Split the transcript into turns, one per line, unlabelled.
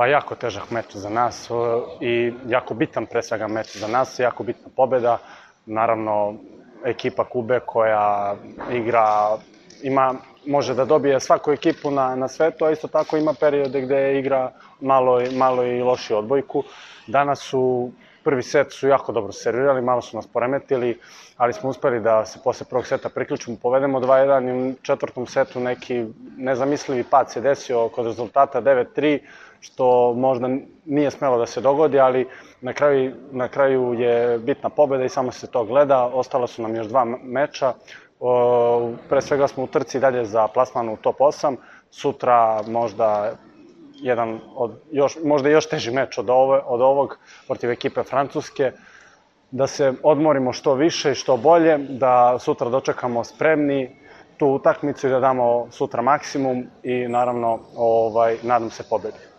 Pa jako težak meč za nas i jako bitan pre svega meč za nas, jako bitna pobeda. Naravno, ekipa Kube koja igra, može da dobije svaku ekipu na svetu, a isto tako ima periode gde igra malo i lošiju odbojku. Danas prvi set su jako dobro servirali, malo su nas poremetili, ali smo uspeli da se posle prvog seta priključimo, povedemo 2-1 i u četvrtom setu neki nezamislivi pad se desio kod rezultata 9-3, što možda nije smelo da se dogodi, ali na kraju je bitna pobeda i samo se to gleda. Ostalo su nam još 2 meča. Pre svega smo u trci dalje za plasman u top 8. Sutra možda možda još teži meč od ovog protiv ekipe Francuske. Da se odmorimo što više i što bolje, da sutra dočekamo spremni tu utakmicu i da damo sutra maksimum i naravno nadam se pobedi.